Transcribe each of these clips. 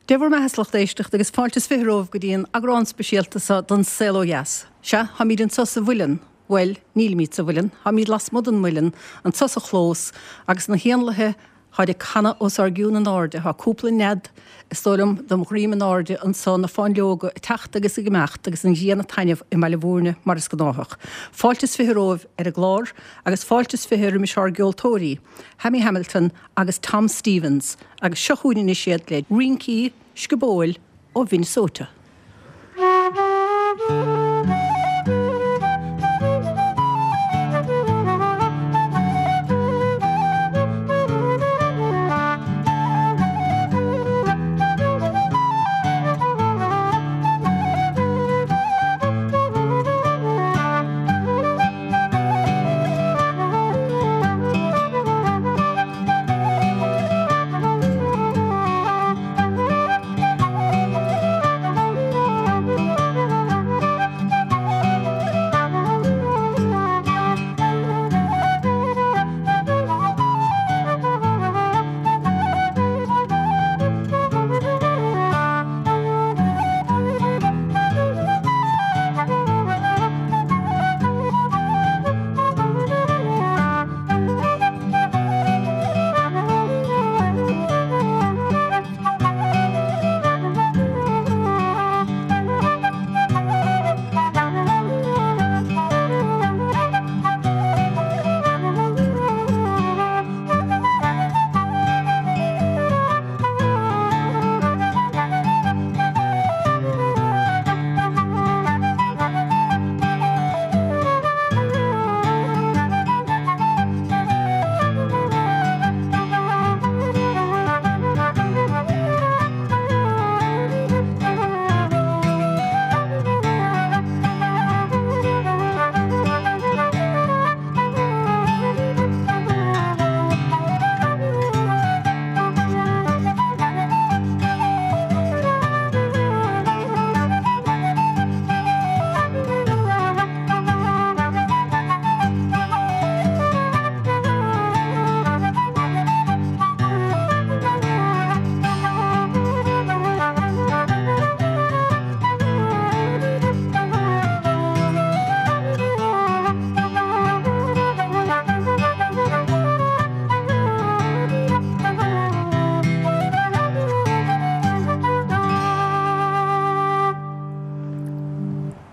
Dé bhur mbeatha a lucht éisteachta agus fáilte is 20 romhaibh go dtí an eagrán speisialta seo den Saol Ó Dheas. Sea, táimid anseo sa mhuileann, bhuel, nílimid sa mhuileann, táimid lasmuigh den mhuileann, anseo sa chlós, agus na héanlaithe, táid ag canadh os ár gcionn in airde, tá cúpla nead, is dóigh liom, dem dhroim in airde anseo, na fáinleoga ag teacht agus ag imeacht agus an ghrian ag taitneamh i mBaile Bhúirne mar is gnáthach. Fáilte is 20 romhaibh ar an gclár agus fáilte is 20 roimis ár gceoltóirí, Hammy Hamilton agus Tom Stevens agus seo chugainn anois iad le rincí sciobóil ó Mhinnesota.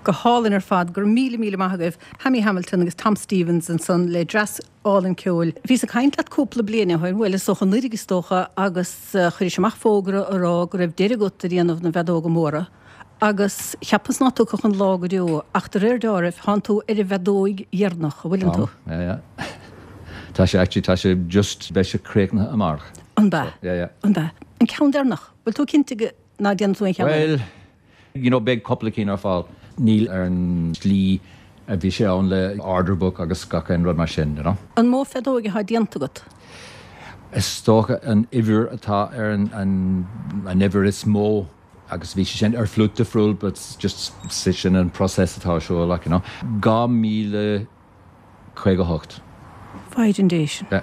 Go hálainn ar fad. Go raibh míle míle maith agaibh, Hammy Hamilton agus Tom Stevens ansan le dreas álainn ceoil. Bhíos ag caint leat cúpla bliain ó shin, bhuel is dócha anuraidh is dócha, agus chuiris amach fógra a rá go raibh deireadh agat a dhéanamh na bhfeadóga móra agus cheapas ná tiocfadh an lá go deo ach de réir deáraimh thánn tú ar an bhfeadóig dheireanach, an bhfuileann tú? Tá, yeah, yeah. Tá sé actually, tá sé just, beidh sé críochnaithe amárach. An bea? Yeah, yeah. An bea? An ceann deireanach? Bhfuil tú cinnte go ná déanfaidh tú aon cheann eile? Bhuel, You know, beidh cúpla cinn ar fáil. Níl ar an slí a bhí sé ann le order book agus gach aon rud mar sin, you know. An mó feadóig atá déanta agat? Is dócha an uimhir atá ar an an uimhir is mó agus bhí sé sin ar flute difriúil but just sin an process atá ar siúl like, you know. 2058. Mhaighdean Dé sin. Yeah.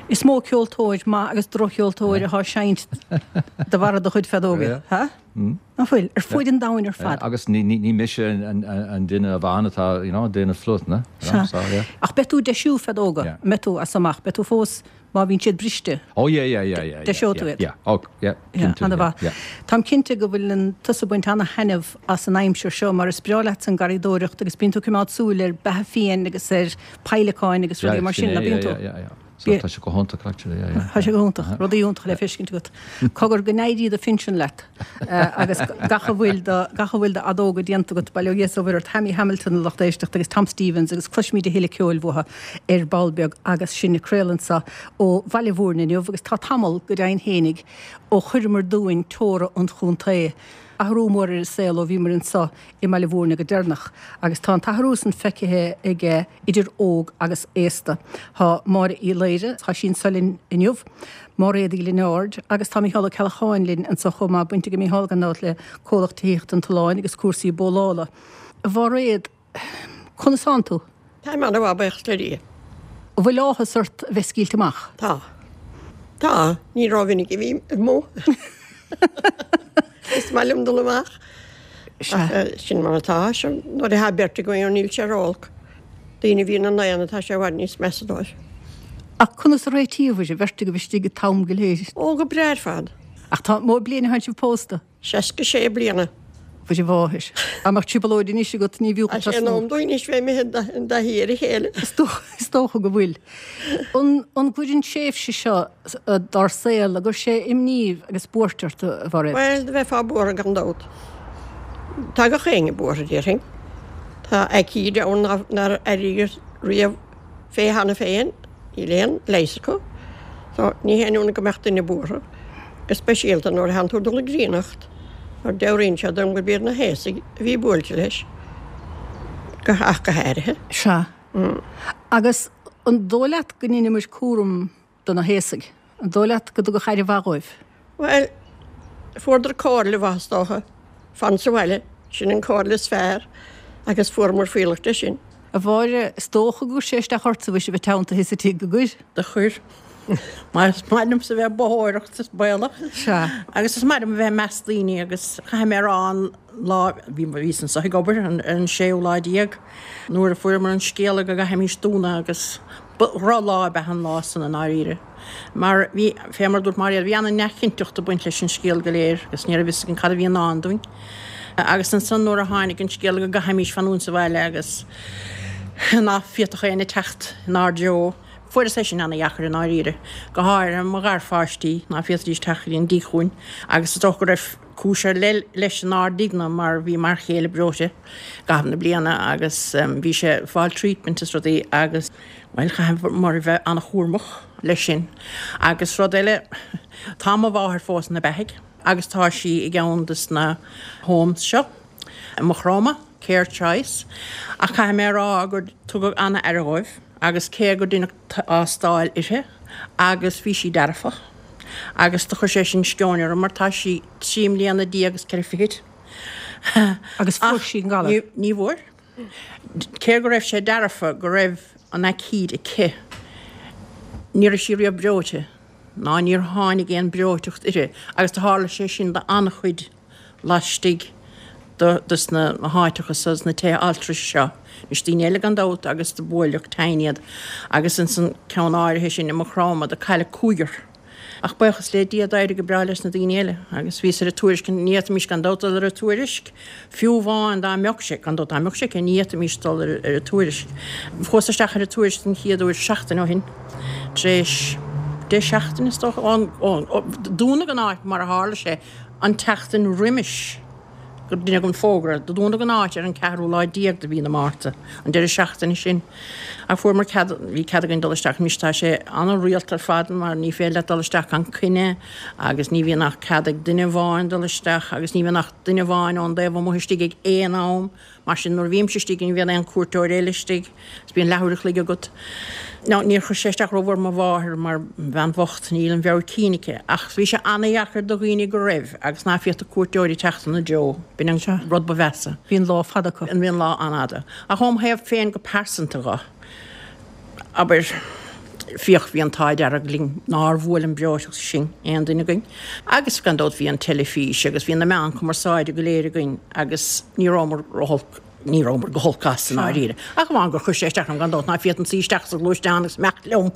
Is mó ceoltóir maith agus droch-cheoltóir atá ag seinnt de bharra do chuid feadóga. Yeah. Ha? Ná fuil? Ar fuaid an domhain ar fad. Agus ní ní mise an duine amháin atá, you know, ag déanamh flute, na? Sea. So, yeah. Ach beidh tú ag deisiú feadóga, Yeah. an mbeidh tú as so amach? Beidh tú fós, má bhíonn siad briste? Oh yeah, yeah, yeah, yeah. Deiseoidh tú iad? Yeah, oh, yeah, Yeah, cinnte, ana-mhaith. yeah. Táim cinnte go bhfuileann tusa ag baint ana-thaitneamh as an aimsir seo mar is breá leatsa an garraíodóireacht agus bíonn tú ag coimeád súil ar beatha fiáin agus ar peidhleacáin agus rudaí mar sin, Yeah, ná bíonn yeah, tú? yeah, yeah, yeah. So tá sé go hiontach actually, yeah, yeah. Tá sé go hiontach, rudaí iontacha le feiscint agat. Cogar go n-éirí do phinsean leat agus gach a bhfuil de, gach a bhfuil de fheadóga déanta agat, bail ó Dhia is ó Mhuire ort, Hammy Hamilton a lucht éisteachta agus Tom Stevens agus cloisfimid a thuilleadh ceoil uathu ar ball beag agus sinn ag craoladh anso ó Bhaile Bhúirne inniu agus tá tamall, go deimhin fhéinig, ó chuireamar dúinn teora an chontae. Athrú mór ar an saol ó bhíomar anso i mBaile Bhúirne go deireanach agus tá an t-athrú san feicthe aige idir óg agus aosta. Tá Máire Uí Laoire, tá sí anso linn inniu, Máiréad Uí Lionáird agus tá Mícheál Ó Ceallacháin linn anso chomh maith, baint ag Mícheál gan dabht le comhlacht tithíochta an tSuláin agus cúrsaí bólála. A Mháiréad, conas tánn tú? Táim ana-mhaith, buíochas le Dia. An bhfuil áthas ort a bheith scaoilte amach? Tá. Tá. Ní rómhinic a bhím amuigh. maith liom dul amach. Ach sin mar atá. Nuair atá beirt againn níl sé ró-olc. Daoine a bhí ina n-aonar tá sé i bhfad níos measa dóibh. Ach conas a réitíobhair, an bheirt agaibh istigh an t-am go léir? Ó, go breá ar fad. Ach tá mó bliain atá sibh pósta? 66 bliana. Mhuire mháthair. Dá mbeadh trioblóid anois agat ní bhfiú Tá sé in am dúinn anois bheith imithe i dtaithí ar a chéile. Is dócha go bhfuil. An an gcuir an tréimhse seo dár saol, an gcuir sé imní agus buairt ort, a Mhairéad? Bhuel, do bheifeá buartha gan dabht. Tá gach éinne buartha, déarfainn. Tá aicíd ann nár airíodh riamh fé cheana féin. Níl aon leigheas acu. So, ní haon ionadh go mbeadh duine buartha, go speisialta nuair a thánn tú ag dul i gcríonnacht, mar dealraíonn sé dom gurb iad na haosaigh a bhí buailte leis, go, ach go háirithe. Sea. Agus an dóigh leat go ndeineamar cúram do na haosaigh? An dóigh leat go dtugadh aire mhaith dhóibh? Bhuel, fuaireadar comhairle mhaith is dócha. Fan sa bhaile, sin an comhairle is fearr agus fuaireamar fuíollach de sin. A Mháire, is dócha gur chuir sé isteach ortsa mhuise a bheith teanntaithe sa tigh, an gcuir? Do chuir. Mar is maith liomsa a bheith ag bothóireacht is baolach. Sea. Agus is maith liom a bheith i measc daoine agus caithfidh mé a rá an lá, bhí, bhíos anso ag obair ar an séú lá déag nuair a fuaireamar an scéala go gcaithfimis dúnadh agus ba dhrochlá ab ea an lá san i ndáiríre. Mar bhí, fé mar a dúirt Máiréad, bhí ana-neamhchinnteacht ag baint leis an scéal go léir agus ní raibh fhios againn cad a bhí i ndán dúinn. Agus ansan nuair a tháinig an scéal go gcaithfimís fanúint sa bhaile agus ná féadfadh éinne teacht inár dtreo, fuaireas é sin ana-dheacair i ndáiríre, go háirithe mo gharpháistí, ná féadfaidís teacht go dtí an dtigh chugainn agus is dócha go raibh cúis ar leith leis inár dtighne mar bhí m'fhear chéile breoite i gcaitheamh na bliana agus bhí sé ag fáil treatment is rudaí agus bhuel chaitheamar a bheith an-chúramach leis sin. Agus rud eile, tá mo mháthair fós ina beathaidh agus tá sí i gceann des na homes seo i Maigh Chromtha, Care Choice, ach caithfidh mé a rá gur tugadh an-aire dhóibh agus cé gur deineadh tástáil uirthi agus bhí sí dearfach agus do chuir sé sin sceoin orm mar tá sí 13 mbliana agus ceithre fichid. Agus fuair sí an galar? Ní bhfuair. Cé go raibh sé dearfa go raibh an aicíd aici, ní raibh sí riamh breoite, ná níor tháinig aon breoiteacht uirthi, agus do tharla sé sin d'an-chuid laistigh de sna háiteacha so, sna tithe altrais seo. Anois daoine eile gan dabht agus do buaileadh tinn iad, agus ins an ceann áirithe sin i Maigh Chromtha do cailleadh cúigear. Ach buíochas le Dia d'éirigh go breá leis na daoine eile agus bhíos ar an Tuairisc, ní fhéadfaimis gan dabht dul ar an Tuairisc, fiú amháin dá mbeadh sé, gan dabht dá mbeadh sé aici, ní fhéadfaimis dul ar an Tuairisc. Chuas isteach ar an Tuairisc den chéad uair seachtain ó shin, tar éis deich seachtaine is dócha, ón, ón, dúnadh an áit mar a tharla sé an tseachtain roimis. gur deineadh an fógra. Do dúnadh an áit ar an ceathrú lá déag de mhí na Márta, an deireadh seachtaine sin. Ach fuaireamar cead, bhí cead againn dul isteach. Anois tá sé ana-rialta ar fad mar ní féidir leat dul isteach gan coinne agus ní bhíonn ach cead ag duine amháin dul isteach agus ní bhíonn ach duine amháin ón dtaobh amuigh istigh ag aon am. Mar sin, nuair a bhímse istigh, ní bhíonn aon cuairteoir eile istigh, is bíonn leathuair a chloig agat. Now, níor chuir sé isteach rómhór ar mo mháthair mar bhean bhocht, níl an mheabhair cinn aici. Ach bhí sé ana-dheacair do dhaoine go raibh, agus ná féadfadh cuairteoirí teacht ina dtreo. B'in an rud ba mheasa. Bhí an lá fada acu. Bhí an lá an-fhada. Ach óm thaobh féin go pearsanta dho, abair, fiach, bhí an t-ádh dearg linn nár bhuail an breoiteacht sinn, aon duine againn. Agus gan dabht bhí an teilifís agus bhí na meáin cumarsáide go léir againn agus ní rabhamar rótholc, ní rabhamar go holc as i ndáiríre. Ach amháin gur chuir sé isteach orm gan dabht ná féadfainn suí isteach sa ghluaisteán agus imeacht liom,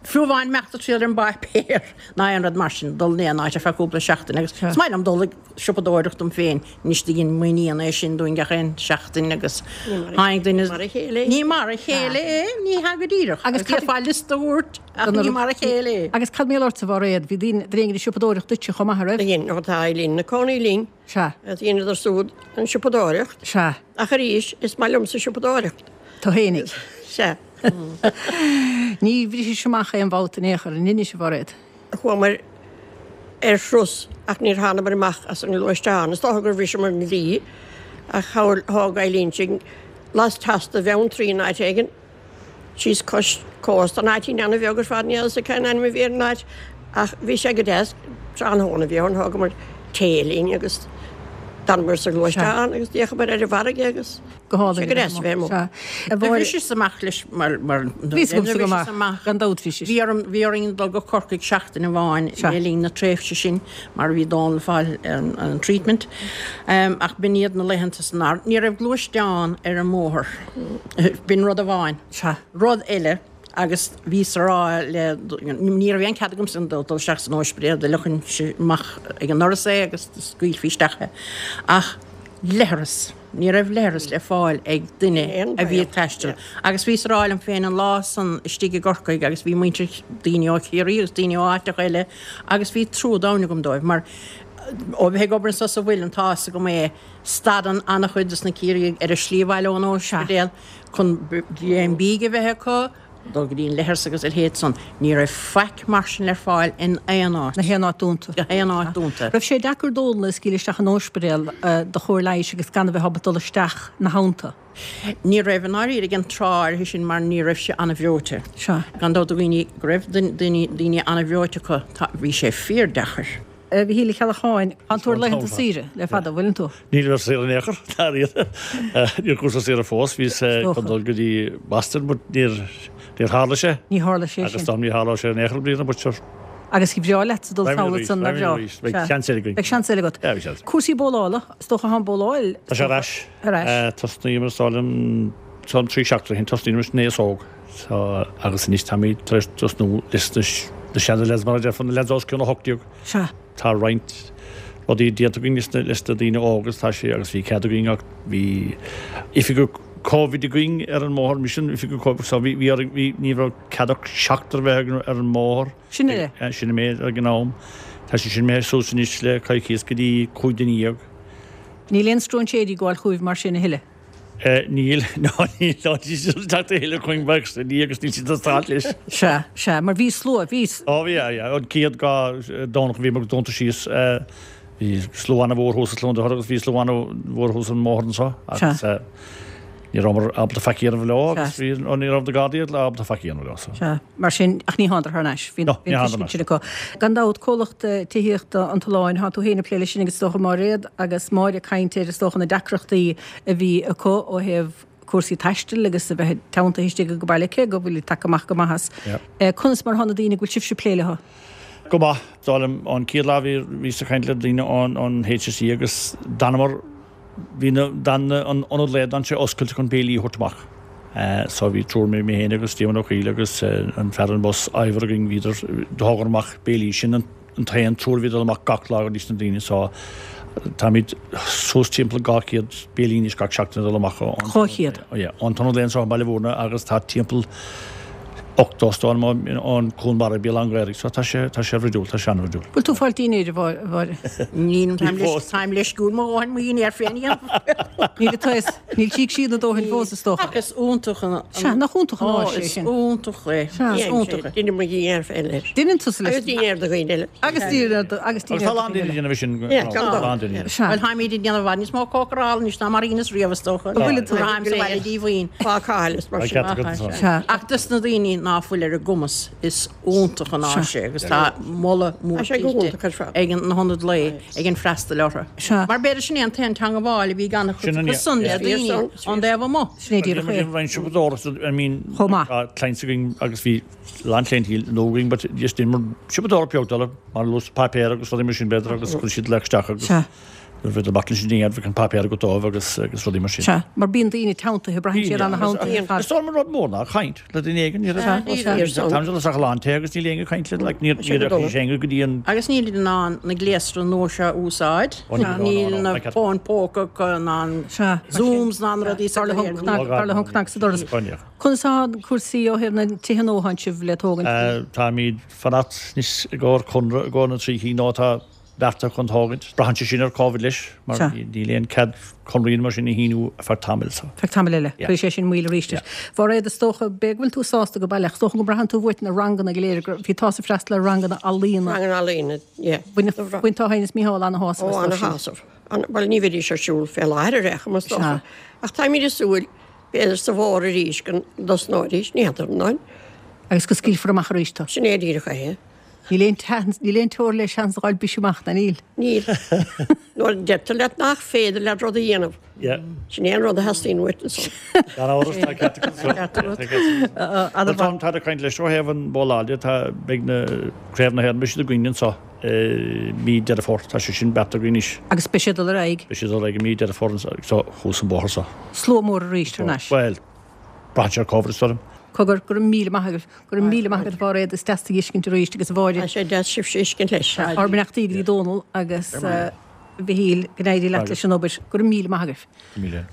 fiú amháin imeacht ag triall ar an bpáipéar ná aon rud mar sin, dul in aon áit ar feadh cúpla seachtain agus is maith liom dul ag siopadóireacht dom féin. Anois do dhein m'iníon é sin dúinn gach aon seachtain agus tháinig duine. Ní mar a chéile é. Ní mar a chéile é, ní hea go díreach. Agus d'fhéadfá liosta a thabhairt ach ní mar a chéile é. Agus cad mar gheall ortsa, a Mhairéad? Bhí daoine, duine éigin ag siopadóireacht duitse chomh maith, an raibh? Dhein, ó tá Eileen ina cónaí linn. Sea. Dheineadar siúd an siopadóireacht. Sea. Ach arís, is maith liomsa siopadóireacht. Tú fhéinig. Sea. Ní bhrisis amach aon bhabhta in aon chor, an inis, a Mhairéad? Chuamar ar thuras ach níor thánamar amach as an ngluaisteán. Is dócha gur bhriseamar an dlí ach thóg Eileen sinn lasteas de Bheanntraí in áit éigin, síos cois cósta, an áitín ana-bheag ar fad, níl a fhios agam cén ainm a bhí ar an áit ach bhí sé go deas. Tráthnóna a bhí ann, thógamar tae linn agus. D'fhanamar sa ghluaisteán agus d'fhéachamar ar an bhfarraige agus Go hálainn. Sé go deas a bheith amuigh. Sea. A Do Mháire. bhriseas amach leis mar mar Bhí 's agamsa go maith. amach. Gan dabht bhí Bhí orm bhí orainn dul go Corcaigh seachtain amháin Sea. le linn na tréimhse sin mar bhí Dónal ag fáil an an treatment. Ach b'in iad na laethanta san ár ní raibh gluaisteán ar an mbóthar. B'in rud amháin. Sea. Rud eile agus bhíos a rá le ní raibh aon cead agamsa dul isteach san óispidéal, d'fhliuchainnse amach ag an ndoras é agus scaoilfí isteach é. Ach leithreas, ní raibh leithreas le fáil ag duine a bhí ag taisteal. Agus bhíos a rá liom féin an lá san istigh i gCorcaigh agus bhí muintir, daoine ó Chiarraí agus daoine ó áiteacha eile agus bhí trua domhain agam dóibh mar ó bheith ag obair anso sa mhuileann tá fhios agam é, stadann an-chuid dos na Ciarraígh ar a slí abhaile ón óispidéal chun greim bídh a bheith acu, dul go dtí an leithreas agus a leithéid san. Ní raibh faic mar sin le fáil in aon áit. Gach aon áit dúnta. Gach aon áit dúnta. Raibh sé deacair Dónal a scaoileadh isteach in óispidéal do chóir leighis agus gan a bheith ábalta dul isteach 'na theannta? Ní raibh i ndáiríre ag an tráth áirithe sin mar ní raibh sé an-bhreoite. Sea. Gan dabht do dhaoine go raibh daoine an-bhreoite acu, bhí sé fíordheacair. A Mhichíl Uí Cheallacháin, tánn tú ar laethanta saoire le fada, an bhfuileann tú? Nílim ar saoire in aon chor, dáiríre. Níor chuas ar saoire fós, bhíos chun dul go dtí Boston but níor níor tharla sé. Ní tharla sé sin. Agus dá ní tharlódh sé in aon chor i mbliana but sure. Agus ba bhreá leatsa dul sall ansan, nár bhreá? Beidh seans eile againn. Beidh seans eile agat. Yeah, beidh seans. Cúrsaí bowlála, is dócha thá an bowláil. Tá sé ar ais. Ar ais. Tosnaíomar is dóigh liom trí seachtaine ó shin, tosnaíomar leis an aos óg. So agus anois táimid tar éis tosnú leis na seana lads mar a déarfá, na lads os cionn 18. Sea. Tá roinnt rudaí déanta againn leis na leis na daoine óga agus tá sé agus bhí cead againn ach bhí oifigeach Covid againn ar an mbóthar, mise an oifigeach Covid so bhí bhí orainn bhí ní raibh cead ach seachtar a bheith ar an mbóthar. Sin é. Sin an méid ag an am. Tá sé sin imithe suas anois le coicíos go dtí 15 duine. Níl aon stróinséirí ag gabháil chugaibh mar sin a thuilleadh? Níl, ná níl, ná níl siad ag teacht a thuilleadh chugainn bheadh sa ní agus níl siad ag stát leis. Sea, sea, mar bhí slua, bhí. Ó bhí, yeah, yeah, an chéad dhá Domhnach a bhí muid dúnta síos, bhí slua an-mhór thuas i Cluain Dolcáin agus bhí slua an-mhór thuas an mbóthar anseo agus ní rabhamar ábalta faic a dhéanamh leo agus bhí, ní raibh na Gardaí ábalta faic a dhéanamh leo so. Sea. Mar sin, ach ní thánadar thar n-ais. Bhí No, ní an thánadar tuiscint sin acu. Gan dabht, comhlacht tithíochta an tOileáin, thá tú féin ag plé leis sin agus is dócha Máiréad agus Máire ag caint ar is dócha na deacrachtaí a bhí acu ó thaobh cúrsaí taistil agus a bheith teanntaithe istigh go baile cé go bhfuil tagtha amach go maith as. Conas mar thá na daoine go bhfuil sibhse ag plé leo? Go maith. Dar liom, an chéad lá bhí bhíos ag caint le daoine ón ón HSE agus d'fhanamar Bhí na, d'fhan an ionad lae, d'fhan sé oscailte chun béilí a thabhairt amach. So bhí triúr, mé féin agus Diarmuid Ó Cuill agus an fear an bus, Ivor againn, bhíodar, thógadar amach béilí. Sin an t-aon triúr a bhí ag dul amach gach lá go dtí na daoine. So táimid suas timpeall 200 béilí anois gach seachtain ag dul amach ón, 200? Yeah, ón t-ionad lae anseo i mBaile Mhúirne agus tá timpeall 80 is dóigh liom ón Cuan Mara Béal Átha an Ghaorthaidh. So tá sé, tá sé bhruidiúil, tá sé an-bhruidiúil. Bhfuil tú ag fáil dinnéir, a Mháire? Níl, táim leis, táim leisciúil mo dhóthain mo dhinnéar féin a dhéanamh. Níl a fhios, níl tíg siad na dóthain fós is dócha. Ach is iontach an. Sea, nach iontach an áis é sin. Ó, is iontach é. Sea. Is iontach é. Deinim mo dhinnéar féin leis. Deineann tusa leis. Agus dinnéar do dhaoine eile. Agus dinnéar do, agus dinnéar do dhaoine eile. Agus tá a lán daoine ag déanamh sin. Yeah, gan dabht. A lán daoine. Sea. Bhuel, táimid ag déanamh i bhfad níos mó cócarála anois ná mar a dheineas riamh is dócha. An bhfuil tú? Táim sa bhaile díomhaoin. Bácáil is mar sin. Sea. Ach dos na daoine ná fuil ar a gcumas, is iontach an áis é agus tá moladh mór Tá sé go tuillte hiontach ar fad. ag na hionaid lae ag an freastal orthu. Sea. Mar b'fhéidir sin é an t-aon teangabháil a bhí ag an-chuid acu san le daoine ón dtaobh amuigh. Sin é díreach é. Roinnt siopadóireachta, I mean, Chomh maith. tá clients againn agus bhí a lán clientele nua againn but just dheineamar siopadóireacht beag dóibh mar luas páipéar agus rudaí mar sin b'fhéidir agus chuir siad leac isteach agus Sea. Nuair a bhí amach leis an dingéad bheadh an páipéar agat dóibh agus agus rudaí mar sin. Sea, mar bíonn daoine teanntaithe, braitheann siad ana-theanntaithe ar fad. Is dóigh liom an rud mór ná caint le duine éigin. Ní Sea, raibh sea. Táimid dul isteach i lán tae agus níl éinne ag caint linn, like, níor níor rachaidh éinne go dtí an. Agus níl siad in ann na gléasra nua seo a úsáid. Ó níl, no, Níl no, na no. fóin póca acu ná an Sea. Zooms ná na rudaí Dar le go léir. cnag, dar le cnag sa doras. Ó níl. Conas atá cúrsaí ó thaobh na tithe nua atánn sibh le tógaint? Táimid fanacht anois i gcomhair conradh i gcomhair na dtrí chinn nua atá beartaithe chun tógaint. Braitheann sé sin ar Covid leis, mar níl aon cead conraí mar sin a shíniú ar feadh tamaill. So. Feadh tamaill eile. Yeah. Cuirfidh sé sin moill arís. Yeah. Mháiréad, is dócha, b'fhéidir go bhfuil tú sásta go baileach, is dócha go mbraitheann tú uait na ranganna go léir, bhí tusa ag freastal ar ranganna ealaíona. Ranganna ealaíona, yeah. Bhain, bhain tú féin is Mícheál ana-shásamh Ó, as sin. ana-shásamh. Bhuel, ní bheidís ar siúl fé láthair ar aon chuma, is dócha. Sea. Ach táimid ag súil, b'fhéidir sa bhfómhar arís go dtosnóidís, ní fheadar, an. Agus go scaoilfear amach arís tú. Sin é díreach é. Níl aon tseans, níl aon teora le seans a dh'fháil briseadh amach, ná níl? Níl. Nuair a deirtear leat nach féidir leat rud a dhéanamh, sin é an rud a theastaíonn uait ansan. Gan amhras, tá ceart agat ansan. Tá ceart agat. Tá, tá ag caint leis ó thaobh an bhóláil de, tá, beidh na, Craobh na hÉireann, beidh siad againn anso i mí Deireadh Fómhair, tá sé sin beartaithe againn anois. Agus beidh sé ag dul ar aghaidh? Beidh sé ag dul ar aghaidh i mí Deireadh Fómhair anso, thuas an bóthar so. Slua mór arís thar n-ais. Bhuel, Braitheann sé ar Covid, is dóigh liom. Cogar, go raibh míle maith agaibh. Go raibh míle maith agat a Mháiréad, is deas tú a fheiscint arís agus a Mháire. Tá sé deas sibhse a fheiscint leis. Ár mbeannachtaí go dtí Dónal agus a Mhichíl, go n-éirí leat leis an obair. Go raibh míle maith agaibh.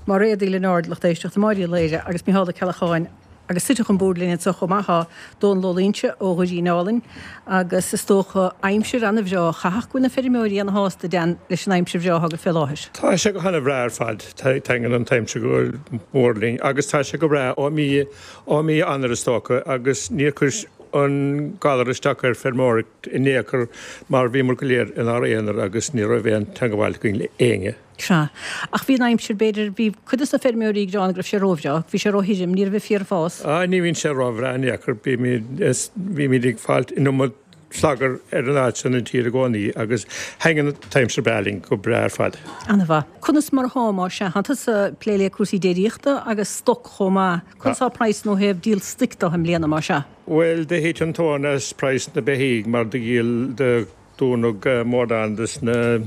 Máiréad Uí Lionáird, lucht éisteachta, Máire Uí Laoire agus Micheál Ó Ceallacháin agus suite chun boird linn anseo chomh maith tá Dónal Ó Loingsigh ó Dhoirín Álainn agus is dócha aimsir ana-bhreá. Chaithfeadh go bhfuil na feirmeoirí ana-shásta, Dan, leis an aimsir bhreá atá agaibh fé láthair. Tá sé go hana-bhreá ar fad. Taitníonn an t-aimsir go mór linn agus tá sé go breá ó mí ó mí Eanáir is dócha agus níor chuir an galar isteach ar feirmeoireacht in aon chor mar bhíomar go léir inár aonar agus ní raibh aon teangabháil againn le éinne. Sea. Ach bhí an aimsir, b'fhéidir, bhí cuid de na feirmeoirí ag gearán go raibh sé róbhreá, bhí sé róthirim, ní raibh an féar ag fás. Á, ní bhíonn sé róbhreá in aon chor, bímid ag fáilt an iomad slagar ar an áit san an tír i gcónaí agus thaitníonn an t-aimsir breá linn go breá ar fad. Ana-mhaith. Conas mar atá, más ea? Tá tusa ag plé le cúrsaí déiríochta agus stoc chomh maith. Conas tá praghsanna ó thaobh díol stoic de i mbliana, más ea? Bhuel, do thit an tóin as praghas na beithígh mar do dhíol, do dúnadh mórán des na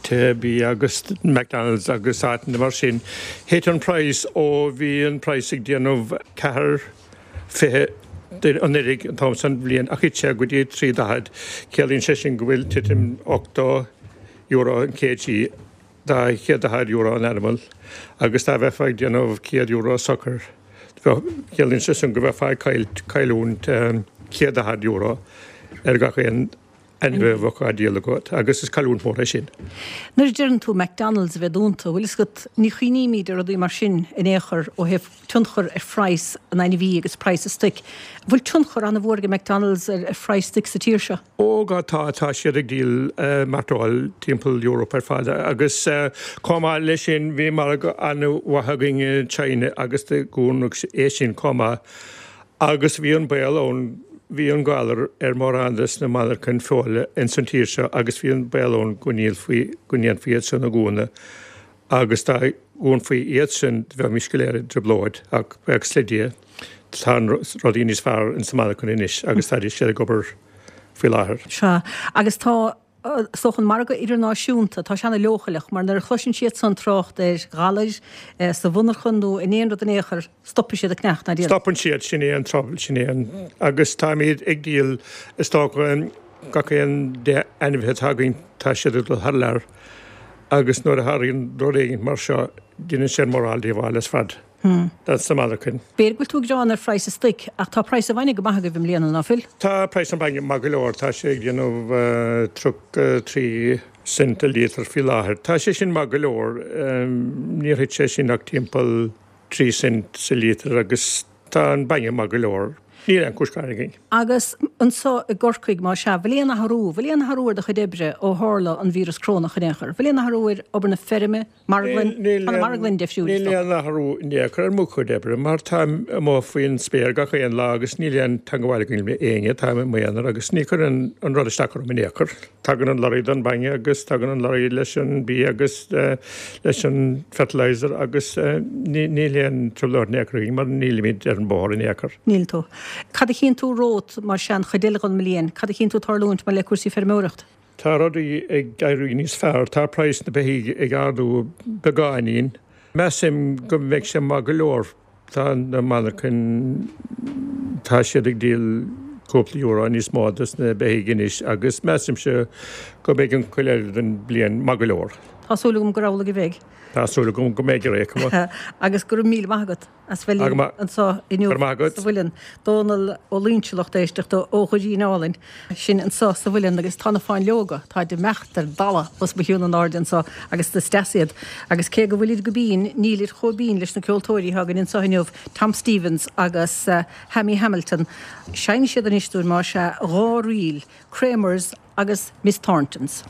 tithe bia agus McDonalds agus áiteanna mar sin. Thit an praghas ó bhí an praghas ag déanamh 4.20 an fheirg an t-am san bhliain ach thit sé go dtí 3.40. Ciallaíonn sé sin go bhfuil titim €80 an kg, €240 an animal agus dá bheifeá ag déanamh €100 socair ciallaíonn sé sin go bheifeá ag cailliúint €140 ar gach aon ainmhí a bheadh á díol agat agus is cailliúint mhór é sin. Nuair a deireann tú McDonalds a bheith dúnta, bhfuil fhios agat, ní chuimhnímid ar rudaí mar sin in aon chor ó thaobh tionchar ar phraghas an ainmhí agus praghas an stoic. An bhfuil tionchar an-mhór ag McDonalds ar phraghas stoic sa tír seo? Ó go tá, tá siad ag díol mairteoil timpeall Europe ar fad agus chomh maith leis sin bhí margadh an-mhaith againn i China agus do dúnadh é sin chomh maith agus bhí an baol ann, bhí an galar ar mórán des na monarchain feola ins an tír seo agus bhí an baol ann go ndíolfaí, go ndéanfaí iad san a dhúnadh agus dá dhúnfaí iad sin bheimis go léir i dtrioblóid ach buíochas le Dia tá rudaí níos fearr ins na monarchain anois agus tá siad ag obair faoi láthair. Sea, agus tá, is dócha, an margadh idirnáisiúnta, tá sé ana-leochaileach mar nuair a chloiseann siad san trácht ar ghalair sa mhonarchan nó in aon rud in aon chor, stopfaidh siad ag ceannach ná díol. Stopann siad, sin é an trouble, sin é an, agus táimid ag díol, is dócha, gach aon 10 ainmhithe atá againn, tá siad ag dul thar lear agus nuair a tharlaíonn rud éigin mar seo, déanann sé an mórán díobháil ar fad dos na monarchain. B'fhéidir go bhfuil tú ag gearán ar phraghas an stoic, ach tá praghas an bhainne go maith agaibh i mbliana, ná fuil? Tá praghas an bhainne maith go leor, tá sé ag déanamh 33 cent a líotar faoi láthair. Tá sé sin maith go leor, níor thit sé sin ach timpeall 3 cent sa líotar agus tá an bainne maith go leor. Níl aon chúis gearáin againn. Agus anso i gCorcaigh, más ea, bhfuil aon athrú, bhfuil aon athrú ar do chuid oibre ó tharla an víreas corónach in aon chor? Bhfuil aon athrú ar obair na feirme, marglann, tá na marglainn difriúil is dócha. Níl aon athrú in aon chor ar mo chuid oibre mar táim amuigh faoin spéir gach aon lá agus níl aon teangabháil againn le éinne, táim i m'aonar agus ní chuireann an rud isteach orm in aon chor. Tagann an lorry don bainne agus tagann an lorry leis an bia agus leis an fertilizer agus níl aon trioblóid in aon chor againn mar nílimid ar an bóthar in aon chor. Níl tú. Cad a chíonn tú romhat mar sin an chuid eile den mbliain? Cad a chíonn tú tarlúint maidir le cúrsaí feirmeoireacht? Tá rudaí ag éirí níos fearr. Tá praghas na beithígh ag ardú beagáinín. Measaim go mbeidh sé maith go leor. Tá na monarchain, tá siad ag díol cúpla euro níos mó dos na beithígh anois agus measaimse go mbeidh an chuid eile den bhliain maith go leor. Tá súil agam gur amhlaidh a bheidh. Tá súil agam go mbeidh ar aon chuma. Agus go raibh míle maith agat as bheith linn anseo inniu sa Mhuileann. Dónal Ó Loingsigh, lucht éisteachta ó Dhoirín Álainn. Sin anso sa Mhuileann agus tá na fáinleoga, táid ag imeacht ar dalladh os mo chionn in airde anso agus is deas iad. Agus cé go bhfuilid go binn, nílid chomh binn leis na ceoltóirí atá againn anso inniu, Tom Stevens agus Hammy Hamilton. Seinnfidh siad anois dúinn, más ea, dha ríl, Kramer's agus Miss Thornton's.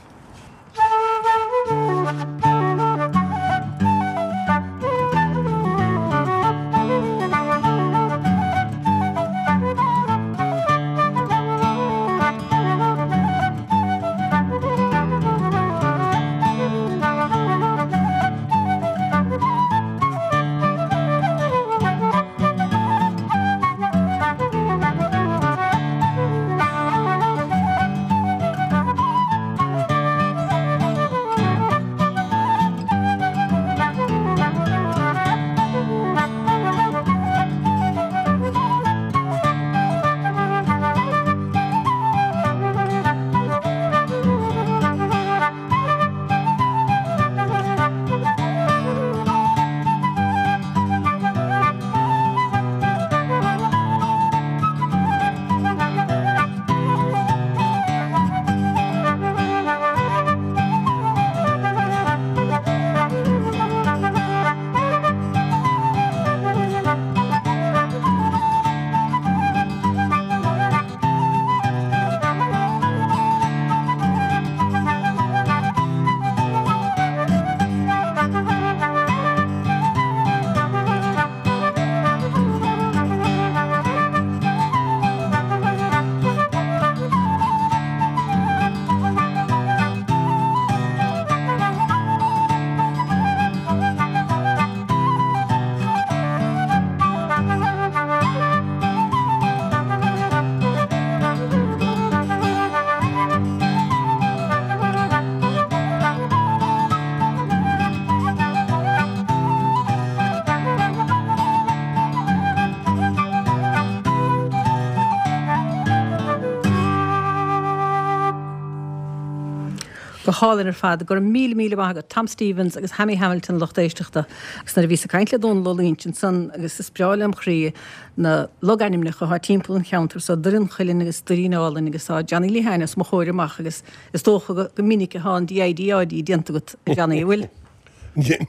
Go hálainn ar fad. Go raibh míle míle maith agat Tom Stevens agus Hammy Hamilton lucht éisteachta. Agus nuair a bhíos ag caint le Dónal Ó Loinsigh ansan agus is breá lem chroí na logainmneacha atá timpeall an cheantair so, Doire an Chuilinn agus Doirín Álainn agus tá Johnny Lehane os mo chomhair amach agus is dócha go minic atá an DIDÁD déanta agat a Johnny, an bhfuil?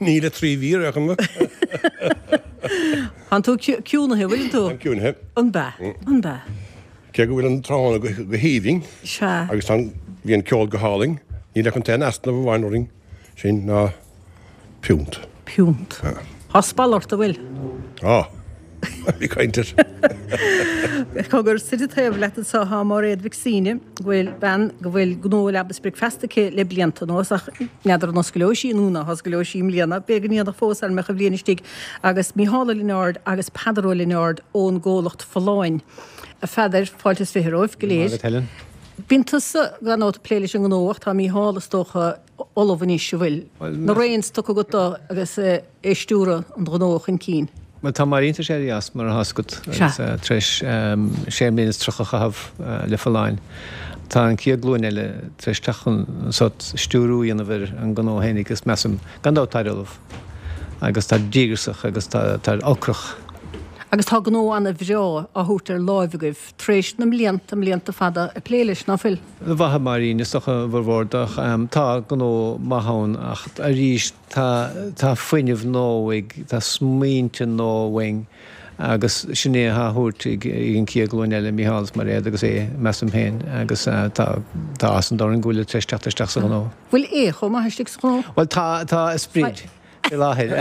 Níl le 3 mhí ar aon chuma. Tánn tú ciúnaithe, an bhfuileann tú? Táim ciúnaithe. An b'ea? An b'ea? Cé go bhfuil an tráthnóna go haoibhinn Sea. agus tá an, bhí an ceol go hálainn, níl ach an t-aon easnamh amháin orainn, sin ná piúnt. Piúnt. Tá spalla ort, an bhfuil? Tá. Bí caint air. Cogar, suite taobh leat anseo tá Máiréad Mhic Suibhne, go bhfuil bean go bhfuil gnó Leaba is Bricfeasta aici le blianta anuas ach n'fheadar an oscaileoidh sí nó ná hoscaileoidh sí i mbliana, b'fhéidir go ndéanfadh fós dá mbeadh an bhliain istigh, agus Mícheál Ó Lionáird agus Peadar Ó Lionáird ón gcomhlacht Folláin. A Pheadair, fáilte is 20 romhaibh go léir. Maith agat Helen. Bíonn tusa gan dabht ag plé leis an ngnó ach tá Mícheál is dócha ullamh anois, an bhfuil? Na reins tugtha agat dó agus é ag stiúradh an ghnó chun cinn. Bhuel tá Máirín tar éis éirí as mar atá a fhios agat agus tar éis sé mbliana is 30 a chaitheamh le Folláin. Tá an chéad ghlúin eile tar éis teacht chun sórt stiúrú a dhéanamh ar an ngnó fhéinig agus measaim gan dabht táid ullamh agus táid díograsach agus táid ocrach. Agus tá gnó ana-bhreá á thabhairt ar láimh agaibh tar éis na mblianta, mblianta fada ag plé leis, ná fuil? A mhaith a Mháirín, is dócha, a bhformhór de ach tá gnó maith ann ach arís tá, tá fuinneamh nua ag, tá smaointe nua uainn agus sin é atá á thabhairt ag an chéad ghlúin eile, Mícheál is Mairéad agus Aodh, measaim féin, agus tá, tá áthas an domhain orainn go bhfuilid tar éis teacht isteach sa ghnó. Bhfuil Aodh chomh maith istigh sa ghnó? Bhuel tá, tá a sprid fé láthair.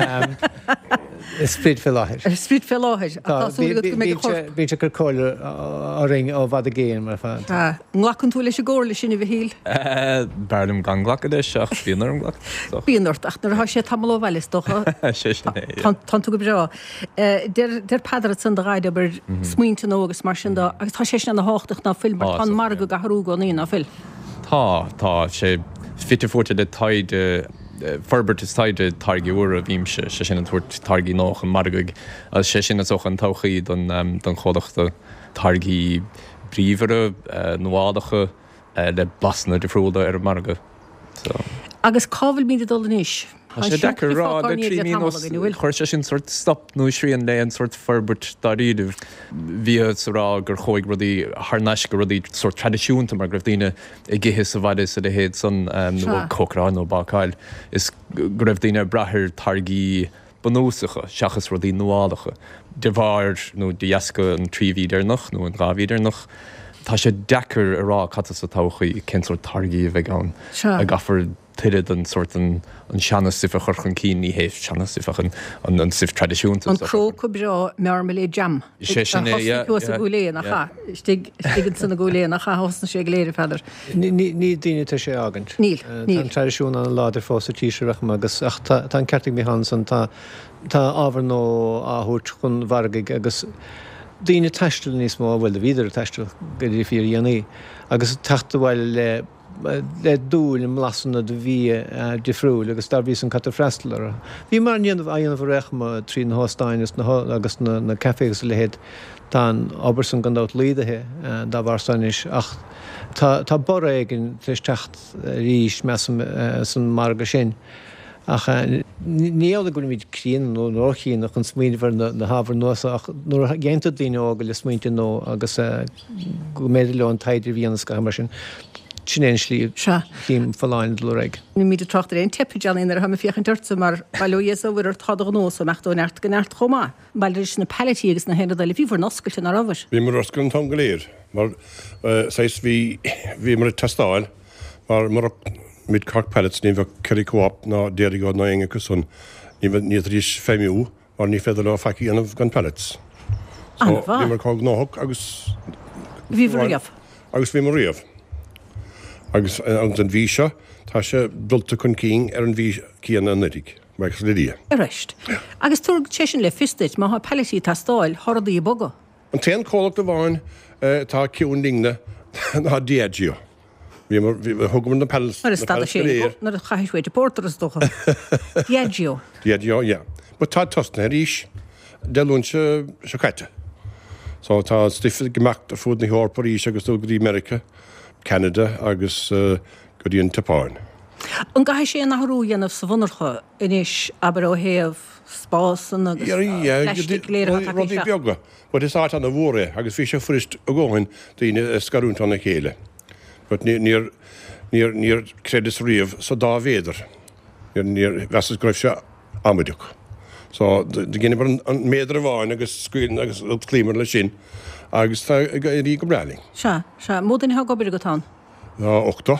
A sprid fé láthair. A sprid fé láthair. Ach tá súil agat go mbeidh a chorp. Bíonn sé ag cur comhairle orainn ó bhfad i gcéin mar fad. An nglacann tú leis an gcomhairle sin, a Mhichíl? B'fhearr liom gan glacadh leis ach bíonn orm glacadh. Bíonn ort, ach nuair atá sé tamall ó bhaile is dócha. Sé sin é, yeah. Tánn tú go breá. Deir Peadar ansan do dhaid, abair, smaointe nua agus mar sin de agus tá sé sin ana thábhachtach ná fuil mar tá an margadh ag athrú i gcónaí ná fuil? Tá, tá sé fite fuaite le taighde, forbairt is taighde táirgí úra, bímse, sé sin ag tabhairt táirgí nua chun margaidh agus sé sin is dócha an todhchaí don don chomhlacht, táirgí bríomhara, nuálacha le blasanna difriúla ar an margadh. So. Agus cá bhfuilimid ag dul anois? Tá sé deacair a rá le 3 mí anuas, chuir sé sin sórt stop nó srian le aon sórt forbairt dáiríribh. Bhíothas ag rá gur chuaigh rudaí thar n-ais go rudaí sórt traidisiúnta mar go raibh daoine ag ithe sa bhaile is a leithéid san nó ag cócaráil nó ag bácáil is go raibh daoine ag brath ar táirgí bunúsacha seachas rudaí nuálacha. De bharr nó de dheasca an 3 mhí deireanach nó an 2 mhí deireanach, tá sé deacair a rá cad tá sa todhchaí, cén sórt táirgí a bheidh ann, an gcaithfear tuilleadh den sórt an seana-stuif a chur chun cinn, ní hé seana-stuif ach an stuif traidisiúnta. An próca breá marmalade jam. Sé sin é, yeah, yeah. Thuas i gCúil Aodha, nach ea? Istigh, istigh ansan i gCúil Aodha, nach ea? Thosnaigh sé go léir, a Pheadair. Níl daoine tar éis é a fhágaint. Níl, níl. Tá an traidisiún an-láidir fós sa tír seo, feicim, agus, ach tá, tá an ceart ag Mícheál ansan, tá, tá ábhar nua á thabhairt chun mhargaidh agus daoine ag taisteal níos mó, bhuel, bhíodar ag taisteal go dtí fíordhéanaí, agus ag teacht abhaile le, le dúil i mblasanna de bhia difriúil agus dá bhrí san caithfear freastal orthu. Bhíomar á ndéanamh, á dhéanamh ar aon chuma trí na hóstáin agus na, agus na, na cafés agus a leithéid. Tá an obair san gan dabht laghdaithe dá bharr san anois ach tá, tá borradh éigin tar éis teacht arís, measaim, san margadh sin. Ach ní amhlaidh go bhfuilimid críonna nó róchríonna chun smaoineamh ar na hábhair nua seo ach nuair a dhéantar daoine óga le smaointe nua agus go mb'fhéidir leo an taighde a dhéanamh is gach mar sin, sin é an slí a chím Folláin ag dul ar aghaidh. Nílimid ag trácht ar aon teip, a Johnny, nuair atá mé ag féachaint ortsa mar, bail ó Dhia is ó Mhuire ort, tá do ghnó so ag imeacht ó neart go neart chomh maith. Maidir leis na palettí agus na haon rud eile, bhíobhair oscailte, ná rabhair? Bhíomar oscailte an t-am go léir mar saghas bhí, bhíomar ag teastáil mar murach Mid Cork Pallets ní bheadh Kerry Co-op ná Dairygold ná éinne acu san, ní bheadh, ní fhéadfaidís feidhmiú mar ní féidir leo faic a dhéanamh gan pallets. So An-mhaith. bhíomar chomh gnóthach agus Bhíobhair riamh. agus bhíomar riamh. Agus an mhí seo tá sé dulta chun cinn ar an mhí céanna anuraidh, buíochas le Dia. Arís. Agus tabharfaidh sé sin le fios duit, má thá palettí ag teastáil, thá rudaí ag bogadh. An t-aon comhlacht amháin atá ciúin linne ná Diageo. Bhíomar, thugamar na pallets, Nuair a na stad pallets sé, go léir. nuair a chaith sé uait porter is dócha. Diageo. Diageo, yeah. But tá tosnaithe arís Dé Luain seo caite. So tá an stuif ag imeacht ar fud na hEorpa arís agus dul go dtí Meiriceá, Ceanada agus go dtí an tSeapáin. An gcaithfidh sé aon athrú a dhéanamh sa mhonarcha anois, abair ó thaobh spásanna agus plaistigh go léir atá tagtha Rudaí isteach? beaga, but is áit ana-mhór é agus bhí sé fuirist a dhóthain daoine a scarúint óna chéile. But níor, níor, níor chreideas riamh sa dá mhéadar. Níor, níor mheasas go raibh sé amaideach. So, do dheineamar an méadar amháin agus scaoil, agus chloíomar leis sin agus tá ag éirí go breá linn. Sea, sea. Mó duine atá ag obair agat ann? Tá 80.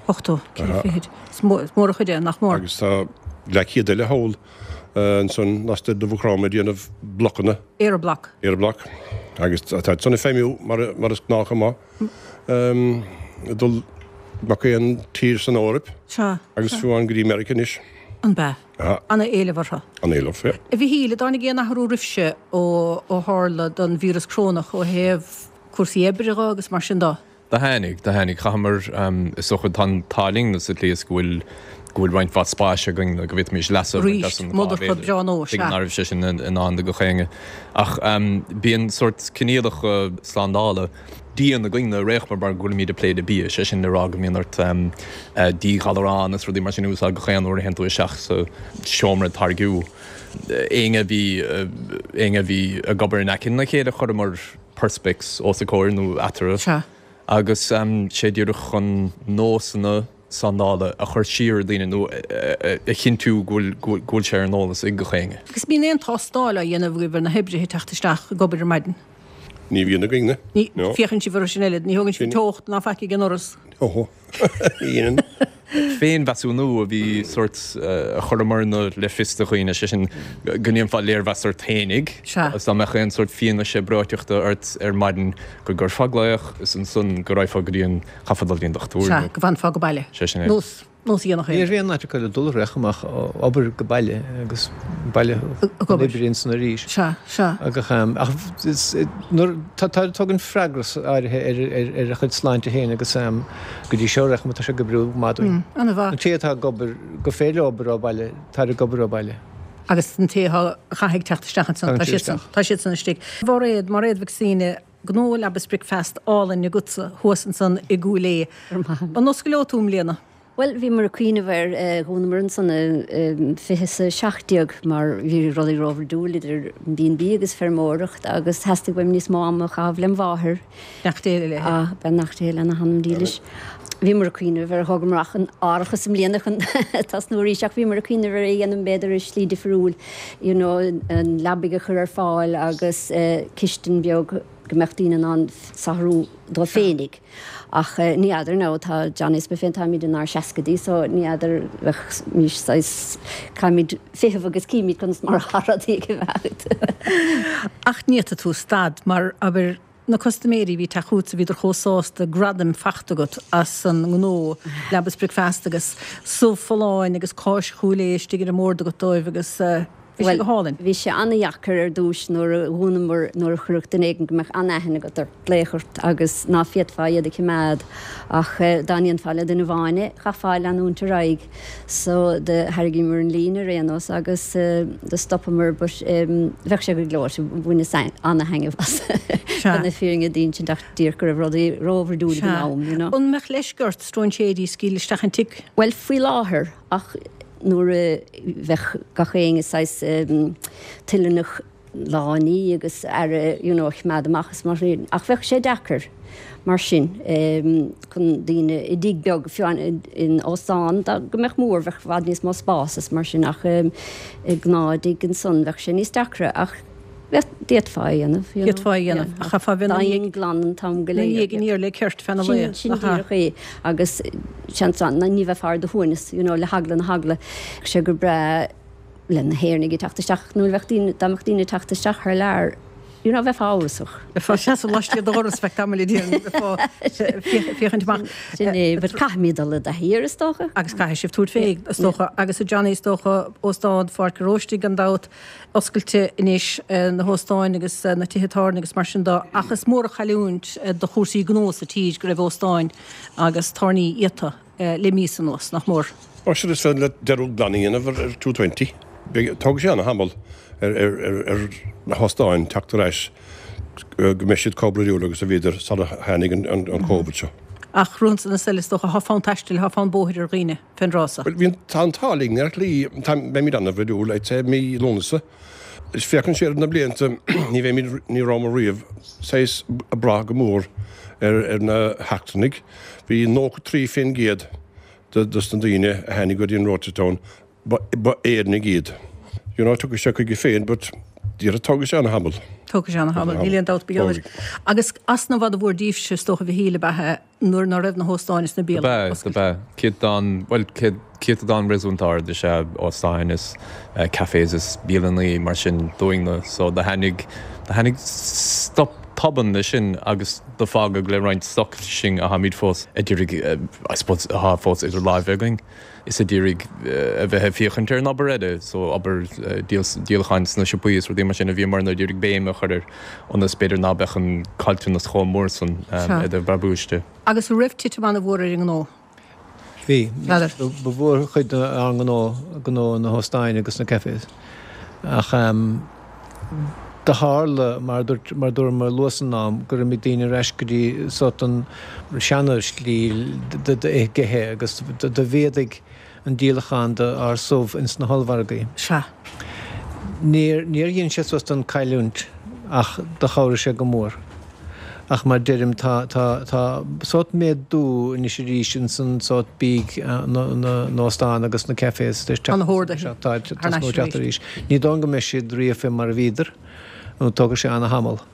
80, ceithre fichid. Is mór an chuid é, nach mór. Agus tá leathchéad eile thall ansan lastoir de Mhaigh Chromtha ag déanamh blocanna. Aeroblock. Aeroblock. Agus tá san ag feidhmiú mar is gnách chomh maith. Ag dul gach aon tír san Eoraip. Sea. Agus fiú amháin go dtí Meiriceá anois. An b'ea? Sea. Ana-éileamh orthu. An-éileamh, yeah. A Mhichíl, an dtáinig aon athrú oraibhse ó tharla don víreas corónach ó thaobh cúrsaí oibre dho agus mar sin dó? Do tháinig, do tháinig. Chaitheamar, is dócha, tá an t-ádh linn sa tslí is go bhfuil, go bhfuil roinnt mhaith spáis againn go bhféadfaimis leas a bhaint as an dhá mhéadar. Tuigim ná raibh sé sin i ndán do gach éinne. Ach bíonn sórt coinníollacha slándála dian againn ar aon chuma mar go bhfuilimid ag plé le bia, sé sin le rá go mbíonn ort díghalarán is rudaí mar sin a úsáid gach aon uair a théann tú isteach sa seomra táirgiú. Éinne a bhí, éinne a bhí ag obair in aice na chéile chuireamar perspex os a comhair nó eatarthu. Sea. Agus sé díreach chun nósanna slándála a chur siar ar daoine nó a chinntiú go bhfuil, go bhfuil sé ar an eolas ag gach éinne. Agus bíonn aon tástáil á dhéanamh agaibh ar na hoibrithe ag teacht isteach ag obair ar maidin? Ní bhíonn againne. Ní, féachann sibh orthu sin eile, ní thógann sibh teocht ná faic ag an ndoras? Ó, ní dhéanann. Féinmheasúnú a bhí sórt a chuireamarna le fios do dhaoine, sé sin go ndéanfá léirmheas ort fhéinig agus dá mbeadh aon sórt fianaise breoiteachta ort ar maidin go gcuirfeá glaoch is ansan go raghfá go dtí an, chaithfeá dul go dtí an dochtúir nó. Sea, go bhfanfá go baile. Sé sin é. Nós. Nós a dhéanfadh Ní raibh aon áit acu le dul ach amach obair go baile agus baile ag obair ansan arís. Sea, sea. Agus ach nuair tá tugann freagras áirithe ar ar a chuid sláinte féin agus go dtí seo recham tá sé ag oibriú go maith dúinn. An-mhaith. An té atá ag obair gur féidir leo obair ó bhaile, táid ag obair ó bhaile. Agus an té atá a chaithfidh teacht isteach ansan, tá siadsan, tá siadsan istigh. Mhairéad, Mairéad Mhic Suibhne, gnó leaba is bricfeasta álainn agatsa thuas ansan i gCúil Aodha. An oscaileoidh tú i mbliana? Bhuel, bhíomar ag cuimhneamh air, dhúnamar ansan i 2017 mar bhí rudaí róbhrúidiúil idir an B&B agus feirmeoireacht agus theastaigh uaim níos mó ama a chaitheamh lem mháthair. Beannacht Dé léi. Ah, beannacht Dé lena hanam dílis. Bhíomar ag cuimhneamh ar thógamar amach an árachas i mbliana chun tosnú arís ach bhíomar ag cuimhneamh ar é a dhéanamh b'fhéidir i slí difriúil, you know, an leabaidh a chur ar fáil agus cistin beag go mbeadh daoine in ann saothrú dóibh féinig. Ach ní fheadar now, tá Johnny is mé féin, táimid inár seascaidí so ní fheadar bheadh saghas, caithfimid feitheamh agus cífimid conas mar atá rudaí ag imeacht. Ach ní fhéadfaidh tú stad mar, abair, Na custaiméirí a bhí ag teacht chugatsa, bhíodar chomh sásta, gradaim fachta agat as an ngnó, leaba is bricfeasta agus subh folláin agus cáis Chúil Aodha istigh ar an mbord agat dóibh agus bhí sé go hálainn. Bhuel, bhí sé an-dheacair ar dtúis nuair a dhúnamar, nuair a chuirfeadh duine éigin go mbeadh an-aithne agat ort glaoch ort agus ná féadfá iad a chimeád ach dá ndéanfá le duine amháin é, chaithfeá leanúint ar aghaidh. So do thairrigíomar an líne ar aon nós agus do stopamar but bheadh sé go gleoite, bhaineas ana-thaitneamh as chun na fírinne d'insint ach díreach go raibh rudaí róbhrúidiúil ag an am, you know. An mbeadh leisce ort stróinséirí a scaoileadh isteach an tigh? Bhuel faoi láthair ach nuair a bheadh gach éinne saghas toilteanach lánaí agus aire you know a choimeád amach is mar sin ach bheadh sé deacair mar sin chun daoine i dtigh beag fiú in óstán dá go mbeadh mór bheadh i bhfad níos mó spás is mar sin ach i gnáth-thigh ansan bheadh sé níos deacra ach bheadh d'fhéadfá é a dhéanamh you know. D'fhéadfá é a dhéanamh ach chaithfeá bheith ina dhiaidh glan an t-am go léir. Ina dhiaidh aniar le ceirt feadh na lae. Sin sin díreach é agus seans ní bheifeá ar do shuaimhneas you know le heagla na heagla. Bheadh sé go breá le na hÉireannaigh ag teacht isteach nó bheadh daoine, dá mbeadh daoine ag teacht isteach thar lear, you know, bheifeá amhrasach. Bheifeá ag seasamh laistiar de dhoras feadh tamaill a déarfainn, bheifeá féachaint amach. Sin é, but caithfimid dul i dtaithí air is dócha. Agus caithfidh sibh tabhairt fé, is dócha. Agus a Johnny, is dócha, Óstán Pháirc an Róistigh gan dabht, oscailte anois, na hóstáin agus na tithe tábhairne agus mar sin de, ach is mór an chailliúint do chúrsaí gnó sa tír go raibh óstáin agus tábhairní iata. le míosa anuas, nach mór. Ó sure is féidir leat dearúd glan a dhéanamh ar 220. Tógfaidh sé ana-thamall ar na hóstáin teacht ar ais go mbeidh siad chomh brúidiúil agus a bhíodar sara tháinig an Covid seo. Ach romhainn ann is eile is dócha, thá fonn taistil, thá fonn bóthair ar dhaoine fén dtráth so. Bhuel, bhí an, tá an t-ádh linn ar shlí, tá, beimid ana-bhroidiúil, I'd say, mí Lúnasa. Is féachann siar ar na blianta, ní bheimid, ní rabhamar riamh saghas ag brath go mór ar, ar na heachtrannaigh. Bhí 93% de, dos na daoine a tháinig go dtí an Rochestown, ba, ba Éireannaigh iad. You know, tiocfaidh sé chuige féin but déarfá tógfaidh sé ana-thamall. Tógfaidh sé ana-thamall, níl aon dabht ba gheall air. Agus easnamh an-mhór daoibhse, is dócha, a Mhichíl, ab ea nuair ná raibh na hóstáin is na bialanna oscailte. Dob ea, dob ea. Céatadán, bhuel, céad, céatadán réasúnta ard is ea óstáin is cafés is bialannaí mar sin dúinn-ne. So do tháinig, do tháinig stop tobann leis sin agus do fágadh le roinnt stoc sinn atháimid fós a d'iarraidh, I suppose, athá fós idir láimhe againn. is a d'iarraidh a bheith ag féachaint ar an obair eile, so obair díolacháin sna siopaí is rudaí mar sin a bhíomar ag iarraidh béim a chur air ionas b'fhéidir ná beadh an caillteanas chomh mór san i dtaobh brabúis de. Agus an raibh titim an-mhór ar an ngnó? Bhí. Ba mhórchuid dár ngnó gnó na hóstáin agus na cafés. Ach do tharla, mar a dúirt, mar a dúramar luath san am, gur imigh daoine ar ais go dtí sórt an seana-shlí d'ithe agus do mhéadaigh an díolachán d'ár subh ins na hollmhargaí. Sea. Níor, níor dhein sé suas don cailliúint ach do chabhraigh sé go mór. Ach mar deirim, tá, tá, tá sórt méadú anois arís ins an sórt bídh na, na n-óstán agus na cafés tar éis Tá na horduithe Tá, thar n-ais teacht arís. Ní dóigh go mbeidh siad riamh fé mar a bhíodar, nó tógfaidh sé ana-thamall.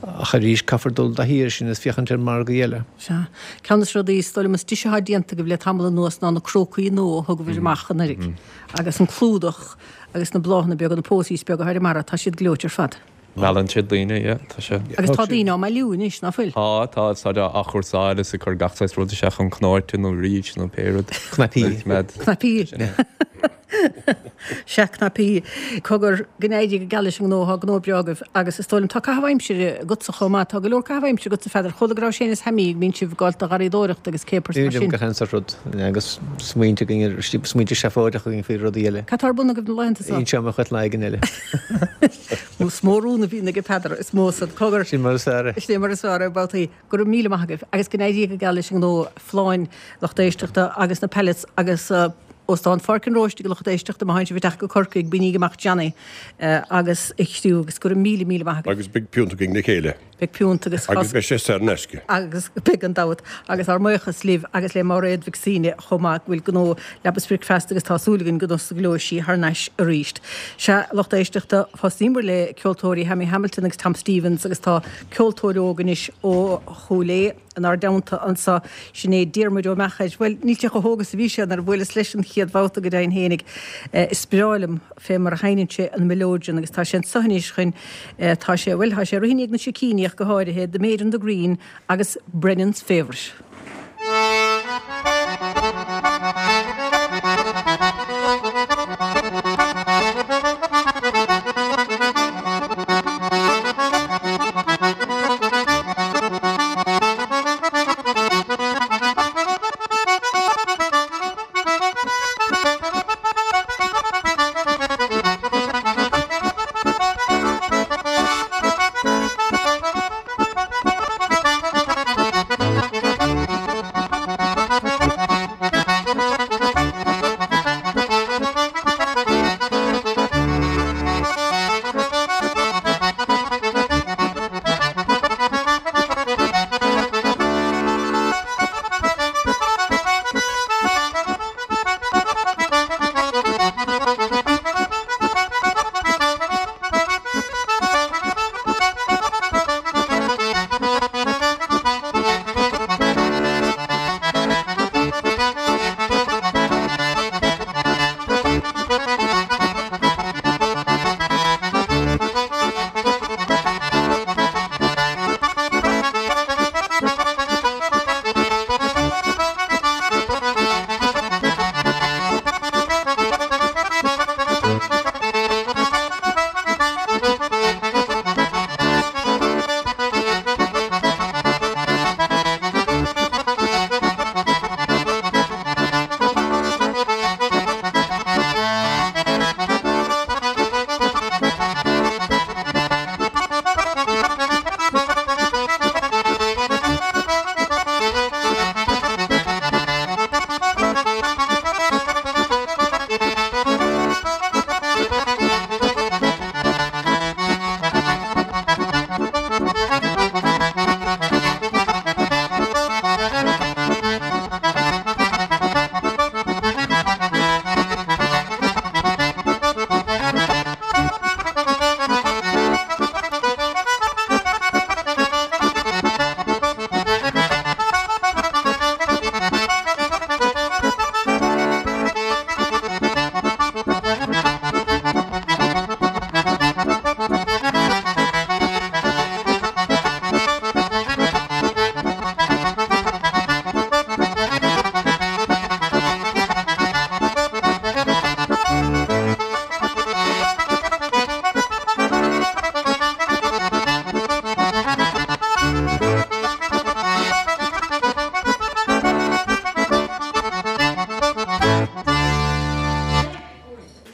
Ach arís, caithfear dul i dtaithí air sin is féachaint ar margaí eile. Sea. Ceann de na rudaí is dóigh liom is deise atá déanta agaibh le tamall anuas ná na crócaí nua a thugabhair amach anuraidh. Agus an clúdach agus na bláthanna beaga, na posies beaga atá ar an mbarra, tá siad gleoite ar fad. Meallann siad daoine, yeah, tá sé. Agus tá daoine á mbailiú anois, ná fuil? Tá, tá, táid á athchúrsáil is ag cur gach saghas rud isteach chun cnóite nó rís nó pé rud. Cnaipí. Cnaipí. Sea, cnaipí. Cogar, go n-éirí go geal leis an ngnó, tá gnó breá agaibh agus is dóigh liom tá caitheamh aimsire agatsa chomh maith, tá go leor caitheamh aimsire agatsa, Pheadar. Chuala go raibh Séamus Thaimí, go mbíonn sibh ag gabháil do gharraíodóireacht agus céapars mar sin. Gach aon sórt rud. Agus smaointe againn, smaointe seafóideacha againn faoi rudaí eile. Cad tá ar bun agaibh na laethanta seo? Inseoidh mé chugat lá éigin eile. Is mó rún a bhíonn aige Peadar, is mó san. Cogar. Sin mar is fearr é. Sin mar is fearr é, babhtaí. Go raibh míle maith agaibh agus go n-éirí go geal leis an ngnó folláin lucht éisteachta agus na pellets agus Óstán Pháirc an Róistigh a lucht éisteachta má théann sibh ag teacht go Corcaigh bainígí amach Johnny agus a chriú agus go raibh míle míle maith agaibh. Agus beidh piúnt againn le chéile. Beidh piúnt agus. Agus beidh sé saor in aisce. Agus beidh gan dabht. Agus ár mbuíochas libh agus le Máiréad Mhic Suibhne chomh maith go bhfuil gnó Leaba Spricfeasta agus tá súil againn go n-osclóidh sí thar n-ais arís. Sea, lucht éisteachta, thosnaíomar le ceoltóirí Hammy Hamilton agus Tom Stevens agus tá ceoltóir óg anois ó Chúil Aodha inár dteannta anso, sin é Diarmuid Ó Meachair. Bhuel, níl sé chomh hóg is a bhí sé nuair a bhuaileas leis an chéad bhabhta go deimhin fhéinig. Is breá liom. fé mar a sheinneann sé an mileoidean agus tá sé anso anois chun, tá sé, bhuel, tá sé ag rith i ndiaidh na sicíní ach go háirithe, The Maid on the Green agus Brennan's Favourite.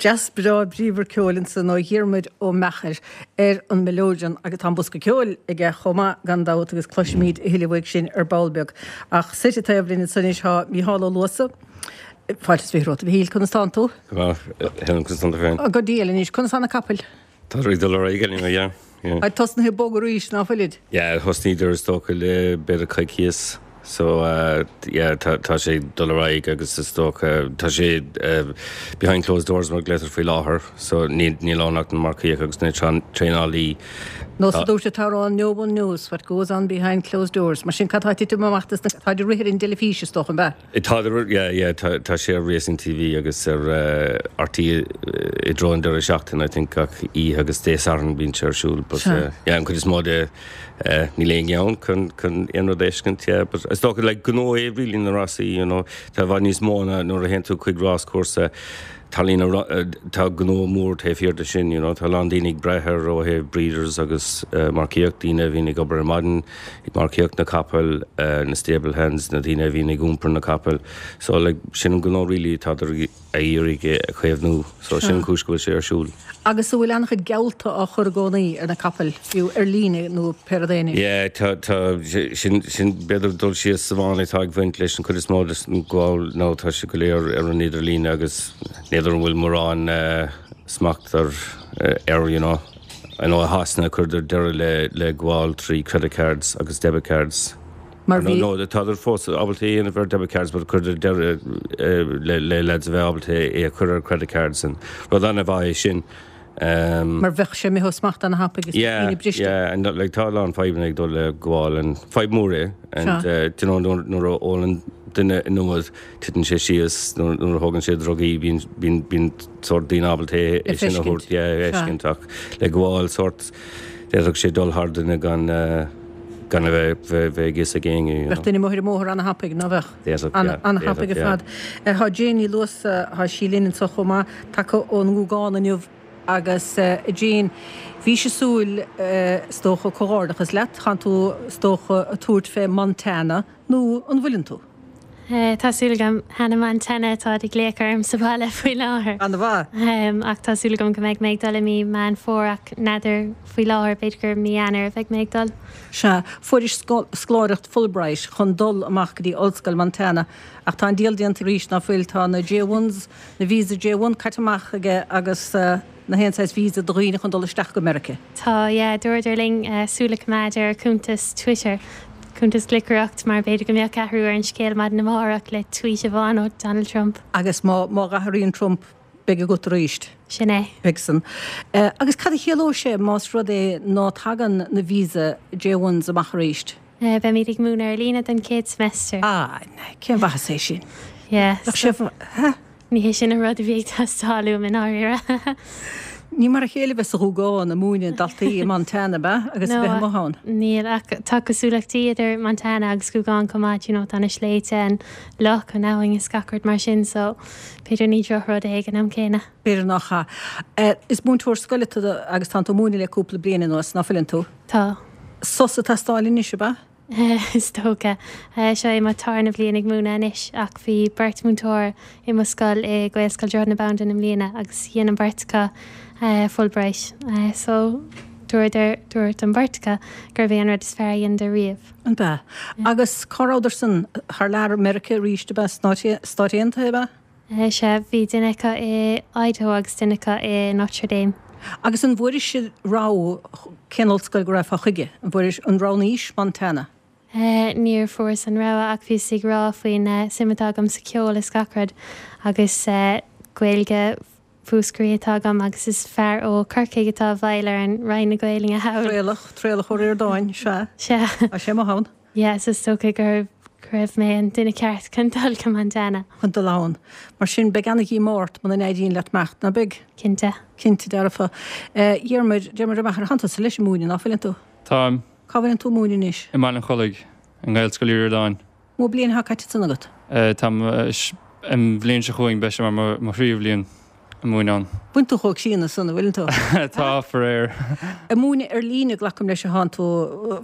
Deas breá bríomhar ceoil ansan ó Dhiarmuid Ó Meachair ar an mileoidean agus tá an bosca ceoil aige chomh maith gan dabht agus cloisfimid a thuilleadh uaidh sin ar ball beag. Ach suite taobh linn ansan anois tá Mícheál Ó Luasa. Fáilte is 20 romhat a Mhichíl, conas tánn tú? Go maith, Helen, conas tánn tú féin? Go diail anois, conas tá na capaill? Tá ag dul ar aghaidh anyway, yeah, yeah. Táid tosnaithe ag bogadh arís, ná fuilid? Yeah, thosnaíodar is dócha le b'fhéidir coicíos. So yeah tá tá sé ag dul ar aghaidh agus is dócha tá sé behind closed doors mar a ghlaotar faoi láthair so níl níl ann ach na marcaíoch agus na traenálaí. Nós a dúirt an t-amhrán no one knows what goes on behind closed doors. Mar sin cad tá ag titim amach dos na táid ag rith ar an dteilifís is dócha, an ea? Tá yeah yeah tá tá sé ar Racing TV agus ar RTÉ i dtreo an deireadh seachtaine I think gach oíche agus Dé Sathairn bíonn sé ar siúl but yeah an chuid is mó de Níl éinne ann chun chun aon rud a fheiscint, yeah, but is dócha like gnó é really na rásaí, you know, tá i bhfad níos mó ná nuair a théann tú chuig ráschúrsa, tarlaíonn a tá gnó mór taobh thiar de sin, you know, tá a lán daoine ag brath air ó thaobh breeders agus marcaíocht, daoine a bhíonn ag obair ar maidin ag marcaíocht na capaill, na stable hands, na daoine a bhíonn ag iompar na capaill, so like sin an gnó really atá a iarraidh é a chaomhnú. So sin an chúis go bhfuil sé ar siúl. Agus an bhfuil an-chuid geallta á chur i gcónaí ar na capaill, fiú ar líne nó pé rud é anois? Yeah, tá, tá, sin, sin b'fhéidir dul síos sa bhfáinne atá ag baint leis an chuid is mó den ghabháil nó tá sé go léir ar an idirlíne agus n'fheadar an bhfuil mórán smacht ar, air, you know. I know i Shasana chuireadar deireadh le, le gabháil trí credit cards agus debit cards. Mar bhí. No, tádar fós ábalta é a dhéanamh ar debit cards but chuireadar deireadh le lads a bheith ábalta é a chur ar credit cards and rud an-mhaith é sin. Mar bheadh sé imithe ó smacht ana-thapaidh is daoine briste. Yeah, yeah, and like tá a lán fadhbanna ag dul le gabháil and fadhb mór é and you know nuair a ólann duine an iomad titeann sé síos nuair a thógann sé drugaí bíonn bíonn bíonn sórt daoine ábalta é sin a thabhairt yeah a fheiscint ach le gabháil sórt d'fhéadfadh sé dul thar duine gan gan a bheith bheith ag fhios ag éinne you know. Bheadh duine amuigh ar an mbóthar ana-thapaidh, ná bheadh? D'fhéadfadh yeah Ana-thapaidh ar fad. Tá Jane Ní Luasa, tá sí linn anseo chomh maith, tagtha ón nGúgán inniu agus a Jane, bhís ag súil is dócha, comhghairdeachas leat, tánn tú is dócha ag tabhairt fé Montana nó an bhfuileann tú? Tá súil agam. Hannah Montana atáid ag glaoch orm sa bhaile faoi láthair. Ana-mhaith. Ach tá súil agam go mbeidh mé ag dul i mí Meán Fómhair ach n'fheadar faoi láthair, b'fhéidir gur mí Eanáir a bheidh mé ag dul. Sea, fuairis scoláireacht Fulbright chun dul amach go dtí Ollscoil Montana ach tá an diabhal déanta arís, ná fuil? Tá na J-ones, na visa J-one caite amach aige agus na haon saghas visa do dhaoine chun dul isteach go Meirice. Tá, yeah, dúradar linn súil a choimeád ar cuntas Twitter, cuntas gliocaireacht, mar b'fhéidir go mbeadh athrú ar an scéal maidin amárach le tweet amháin ó Donald Trump. Agus má má dh'athraíonn Trump, beidh agat arís. Sin é. Beidh san. Agus cad a chiallóidh sé más rud é ná tagann na visa J-ones amach arís? Beimid ag múineadh ar líne don chéad semester. Ah, cén mhaitheas é sin? Yeah. Bheadh sé, huh? Ní hé sin an rud a bhí ag teastáil uaim i ndáiríre. Ní mar a chéile bheith sa Ghúgán ag múineadh daltaí i Montana, ab ea? Agus a bheith amuigh ann. Níl, ach tá cosúlachtaí idir Montana agus Gúgán chomh maith, you know, tá na sléibhte, an loch, an abhainn is gach rud mar sin, so b'fhéidir ní drochrud é ag an am céanna. B'fhéidir nach ea. Is múinteoir scoile tú agus tánn tú ag múineadh le cúpla bliain anuas, ná fuileann tú? Tá. Sos ag teastáil anois, ab ea? Is dócha. Seo é mo tarna bhliain ag múineadh anois ach bhí beirt múinteoir i mo scoil i Gaelscoil Droichead na Bandan i mbliana agus dhein an bheirt acu Fulbright so dúradar, dúirt an bheirt acu gurbh é an rud is fearr a dheineadar riamh. An b'ea? Agus cá rabhadar san? Thar lear i Meiriceá arís ab ea? Sna Stáit Aontaithe ab ea? Sea, bhí duine acu i Idaho agus duine acu i Notre Dame. Agus an bhfuairis rogha cén ollscoil go raghfá chuige? An bhfuairis, an roghnaís Montana? Níor fuaireas an rogha ach bhíos ag rá faoin suim atá agam sa cheol is gach rud agus Gaeilge Mhúscraí atá agam agus is fear ó Chorcaigh atá i bhfeighil ar an Roinn na Gaelainne thall. Traolach, Traolach Ó Ríordáin, sea. Sea. Tá sé amuigh ann. Yeah, so is dócha go raibh mé an duine ceart chun dul go Montana. Chun dul ann. Mar sin, beidh ana-dhíomá ort muna n-éiríonn leat imeacht, ná beidh? Cinnte. Cinnte dearfa. Diarmuid, Diarmuid Ó Meachair, tánn tusa leis ag múineadh, ná fuileann tú? Táim. Cá bhfuileann tú ag múineadh anois? I mBaile an Chollaigh, i nGaelscoil Uí Ríordáin. Mó bliain atá caite ansan agat? Táim, an bhliain seo chugainn beidh sé mar mo thríú bhliain ag múineadh ann. Bhfuileann tú chomh críonna san, an bhfuileann tú? Tá, faraor. Ag múineadh ar líne, glacaim leis, atánn tú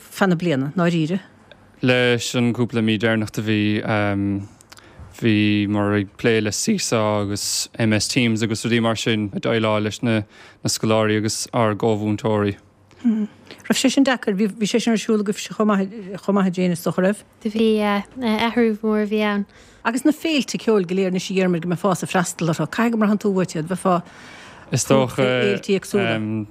feadh na bliana, ndáiríre? Leis an gcúpla mí deireanach de mhí. Bhíomar ag plé le Seesaw agus MS Teams agus rudaí mar sin, ag déileáil leis na scoláirí agus ár gcomh-mhúinteoirí. Raibh sé sin deacair? Bhí sé sin ar siúl agaibhse chomh maith, chomh maith a Jane, is dócha, raibh? Do bhí, yeah. Athrú mór a bhí ann. Agus na féilte ceoil go léir anois a Dhiarmuid go mbeifeása ag freastal orthu, caithfidh go mbraitheann tú uait iad, bheifeá Is dócha, féilte éagsúla.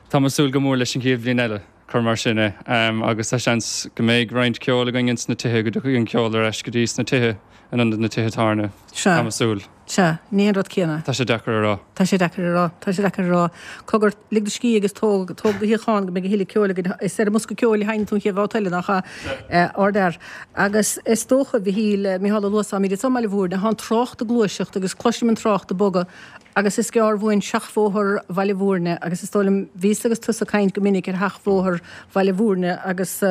Tá mé ag súil go mór leis an chéad bhliain eile, cuir mar sin é, agus tá seans go mbeidh roinnt ceoil againn ins na tithe, go dtiocfaidh an ceol ar ais go dtí sna tithe in ionad na tithe tábhairne. Sea. Tá mé ag súil. Sea, ní an rud céanna. Tá sé deacair a rá. Tá sé deacair a rá. Tá sé deacair a rá. Cogar, lig do scíth agus tóg, tóg do shuíochán go mbeidh a thuilleadh ceoil againn. Is ar an mbosca ceoil a sheinneann tú an chéad bhabhta eile, nach ea? Ardfhear. Agus is dócha, a Mhichíl, Micheál Ó Luasáin, táimid anso i mBaile Bhúirne, tá an trácht ag gluaiseacht agus cloisim an trácht ag bogadh agus is gearr uainn seachbhóthar Bhaile Bhúirne agus is dóigh liom, bhíos agus tusa ag caint go minic ar sheachbhóthar Bhaile Bhúirne agus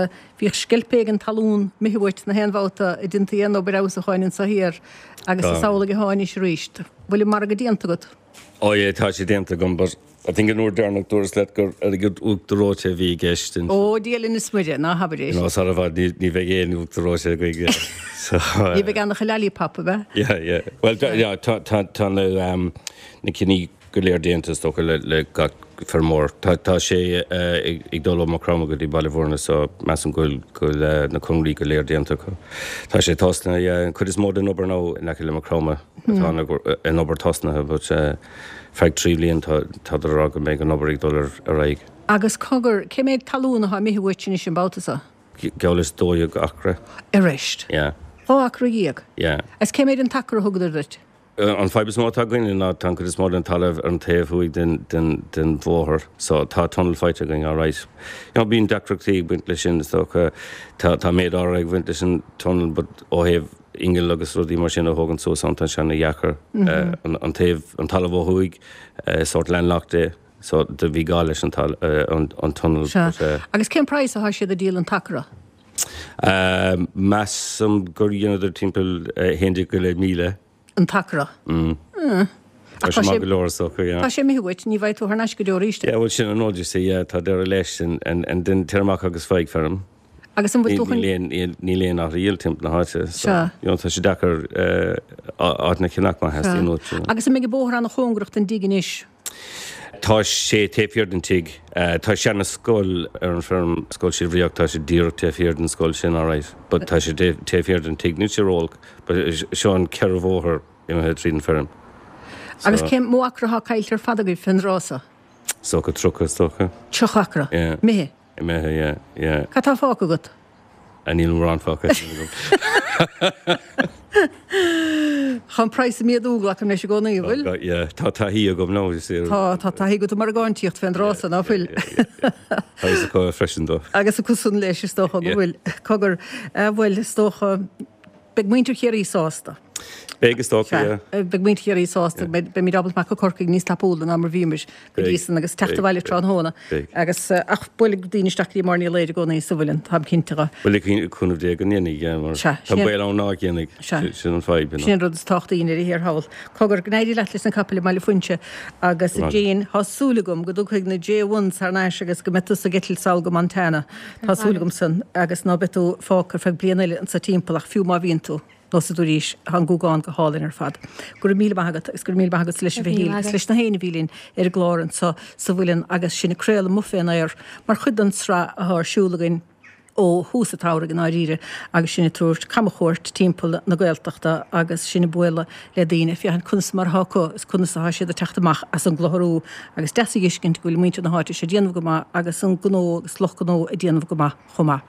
bhíodh sceilp éigin talún imithe uait na haon bhabhta a déantaí aon obair fheabhsúcháin anso thiar agus is amhlaidh atá anois arís. Bhfuil an margadh déanta agat? Oh yeah, tá sé déanta agam but I think an uair deireanach dúras leat gur airgead uachtar reoite a bhí i gceist ansin. Ó Dia linn is Muire, ná habair é sin. You know, sara i bhfad ní, ní bheidh aon uachtar reoite againn. So, Ní bheidh ann ach a lollipop, ab ea? Yeah, yeah. Well, yeah, tá, tá, tá na, um, na cinní go léir déanta is dócha le, le gach feirmeoir. Tá, tá sé uh, ag, ag dul ó Maigh Chromtha go dtí Baile Bhúirne so measaim go bhfuil, go bhfuil uh, na conairí go léir déanta acu. Tá sé tosnaithe, yeah, an chuid is mó den obair now in aice le Maigh Chromtha atá an, an obair tosnaithe but uh, feadh 3 bhliain tá, tádar a rá go mbeidh an obair ag dul ar, ar aghaidh. Agus cogar, cé méid talún atá imithe uait anois an babhta so? Geall leis 12 acra. Arís? Yeah. 12 acra? Yeah. Agus cé méid an t-acra a thugadar duit? An fadhb is mó atá againne ná tá an chuid is mó den talamh ar an taobh thuaidh den, den, den bhóthar so tá tunnel faighte againn alright. You know, bíonn deacrachtaí ag baint leis sin is dócha. Tá, tá méid áirithe ag baint leis an tunnel but ó thaobh inneall agus rudaí mar sin a thógaint suas ann tá sé ana-dheacair. An, an taobh, an talamh ó thuaidh, sórt landlocked é so do bhí gá leis an tal, an, an tunnel Sea. but. Agus cén praghas atá siad ag díol an t-acra? Measaim gur dheineadar timpeall 11 go leith míle. An t-acra? Mm. Tá sé maith go leor is dócha, yeah. Tá sé imithe uait, ní bhfaighidh tú thar n-ais go deo arís é. Yeah, bhuel sin an rud, you see, yeah, tá deireadh leis and, and, and then téir amach agus faigh feirm. Agus an bhfuil tú chun. Níl aon áit a dhíol timpeall na háite, so, Sea. you know, tá sé deacair áiteanna a cheannach má theastaíonn uait, you know. Agus an mbeidh an bóthar ana-chóngarach don dtigh anois? Tá sé taobh thiar den tigh. Tá seana-scoil ar an bhfeirm, Scoil Shíol Bhriac, tá sé díreach taobh thiar den scoil sin, alright, but tá sé taobh thiar den tigh. Níl sé ró-olc, but seo an ceithre bhóthar imithe tríd an feirm. Agus cé mó acra atá caillte ar fad agaibh fén dtráth so? Is dócha 30, is dócha. 30 acra? Yeah. Imithe? Imithe, yeah, yeah. Cad tá fágtha agat? Ah, níl mórán fágtha agam. Tá an praghas ag méadú, glacaim leis i gcónaí, an bhfuil? Tá, yeah. Tá taithí agam now, you see. Tá, tá taithí agat i margáintíocht fén dtráth so, ná fuil? Yeah, yeah, yeah. Tá fhios acu freisin dó. Agus acusan leis, is dócha go bhfuil. Cogar, bhuel, is dócha, Beidh muintir Chiarraí sásta. Beidh, is dócha, yeah. Beidh muintir Chiarraí sásta. Beimid ábalta amach go Corcaigh níos tapúla ná mar bhíomar go dtí san agus teacht abhaile tráthnóna. Agus, ach buailfidh daoine isteach go dtí Máire Ní Laoire i gcónaí sa Mhuileann, táim cinnte dhe. Bhuel, le cúnamh Dé go ndéanfaidh, yeah, mar tá baol ann ná déanfaidh. Sin an fadhb, you know. Sin an rud is tábhachtaí i ndeireadh thiar thall. Cogar, go n-éirí leat leis na capaill i mBaile Fuinse agus Jane, tá súil agam go dtiocfaidh na J1s thar n-ais agus go mbeidh tusa ag eitilt sall go Montana. Tá súil agam san, agus ná beidh tú fágtha ar feadh bliain eile anso timpeall, ach fiú má bhíonn tú, neosad tú arís, tá an Gúgán go hálainn ar fad. Go raibh míle maith agat, agus go raibh míle maith agatsa leis a Mhichíl, agus leis na héinne a bhí linn ar an gclár anso sa Mhuileann agus sinn ag craoladh amuigh fén aer mar chuid den tsraith atá ar siúl againn ó thús an tsamhraidh i ndáiríre agus sinn ag tabhairt camchuairt timpeall na Gaeltachta agus sinn ag bualadh le daoine ag féachaint conas mar atá acu is conas atá siad ag teacht amach as an gcluthar agus deas a dh'fheiscint go bhfuil muintir na háite seo ag déanamh go maith agus an gnó agus lucht gnó ag déanamh go maith chomh maith.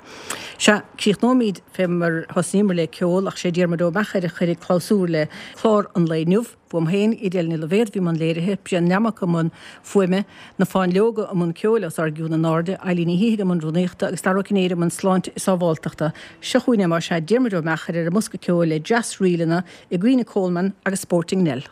Sea, críochnóimid fé mar thosnaíomar le ceol ach sé Diarmuid Ó Meachair a chuirfidh clabhsúr le clár an lae inniu. Uaim féin, Edel Ní Loibhéad, bhí i mbun léirithe, Brian Nammock i mbun fuaime, Na Fáinleoga i mbun ceoil os ár gcionn in airde, Eilín Ní Shíthigh i mbun rúnaíochta agus Dara Ó Cinnéide i mbun sláinte is sábháltachta. Seo chugainn é más ea, Diarmuid Ó Meachair ar an mbosca ceoil le deas-ríleanna i gcuimhne Coleman agus Sporting Nell.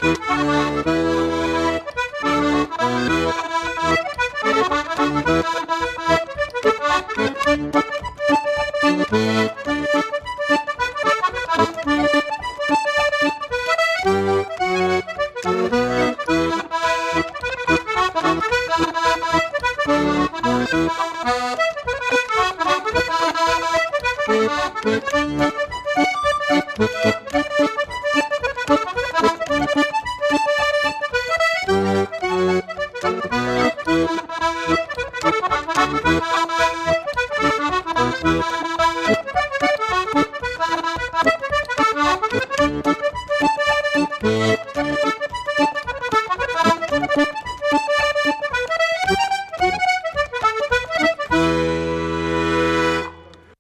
Thank you.